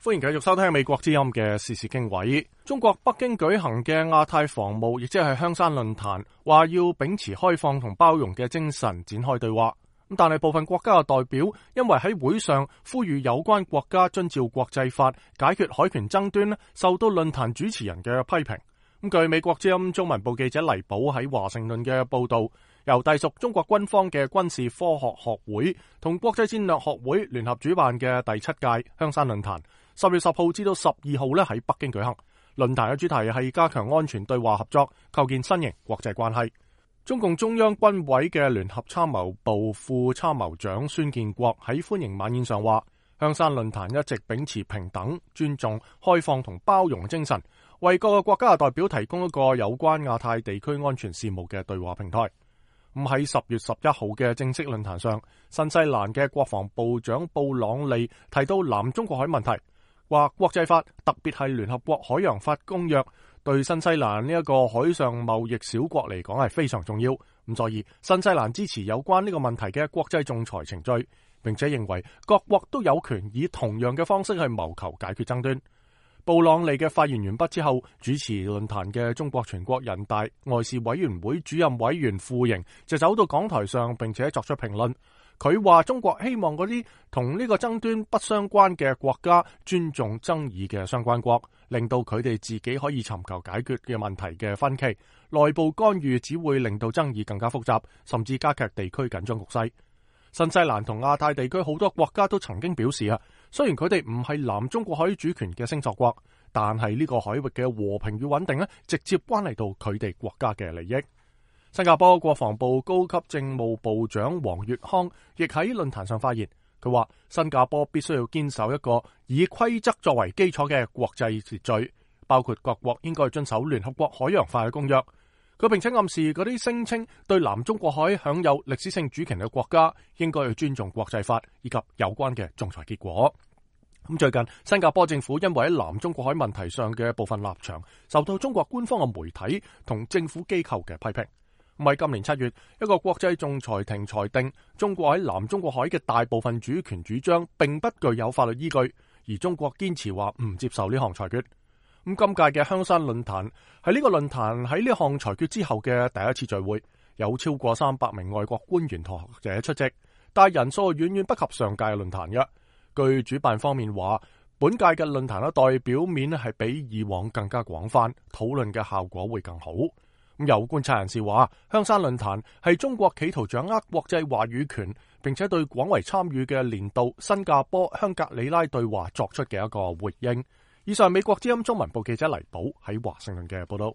歡迎繼續收聽美國之音嘅時事經緯。中國北京舉行嘅亞太防務，亦即係香山論壇，話要秉持開放同包容嘅精神展開對話。但係部分國家嘅代表因為喺會上呼籲有關國家遵照國際法解決海權爭端，受到論壇主持人嘅批評。據美國之音中文部記者黎寶喺華盛頓嘅報道，由隸屬中國軍方嘅軍事科學學會同國際戰略學會聯合主辦嘅第7屆香山論壇，10月10號至到12號喺北京舉行。論壇嘅主題係加強安全對話合作，構建新型國際關係。中共中央軍委嘅聯合參謀部副參謀長孫建國喺歡迎晚宴上話，香山論壇一直秉持平等、尊重、開放同包容精神，為各個國家嘅代表提供一個有關亞太地區安全事務嘅對話平台。喺10月11號嘅正式論壇上，新西蘭嘅國防部長布朗利提到南中國海問題，話國際法特別係聯合國海洋法公約對新西蘭呢一個海上貿易小國嚟講係非常重要。所以新西蘭支持有關呢個問題嘅國際仲裁程序，並且認為各國都有權以同樣嘅方式去謀求解決爭端。布朗利嘅發言完畢之後，主持論壇嘅中國全國人大外事委員會主任委員傅瑩就走到講台上，並且作出評論。佢話中國希望嗰啲同呢個爭端不相關嘅國家尊重爭議嘅相關國，令到佢哋自己可以尋求解決嘅問題嘅分歧。內部干預只會令到爭議更加複雜，甚至加劇地區緊張局勢。新西蘭同亞太地區好多國家都曾經表示雖然佢哋唔係南中國海主權嘅星索國，但係呢個海域嘅和平與穩定直接關係到佢哋國家嘅利益。新加坡國防部高級政務部長黃月康亦喺論壇上發言，佢話新加坡必須要堅守一個以規則作為基礎嘅國際秩序，包括各國應該遵守聯合國海洋法嘅公約。佢並且暗示嗰啲聲稱對南中國海享有歷史性主權嘅國家應該去尊重國際法以及有關嘅仲裁結果。最近新加坡政府因為喺南中國海問題上嘅部分立場受到中國官方嘅媒體同政府機構嘅批評。喺今年7月，一個國際仲裁庭裁定中國喺南中國海嘅大部分主權主張並不具有法律依據，而中國堅持話唔接受呢項裁決。今屆嘅香山論壇係呢個論壇喺呢項裁決之後嘅第一次聚會，有超過300名外國官員同學者出席，但人數遠遠不及上屆嘅論壇嘅。據主辦方面話，本屆嘅論壇代表面係比以往更加廣泛，討論嘅效果會更好。有觀察人士話，香山論壇係中國企圖掌握國際話語權，並且對廣為參與嘅年度新加坡香格里拉對話作出嘅一個回應。以上美國之音中文部記者黎寶喺華盛頓嘅報道。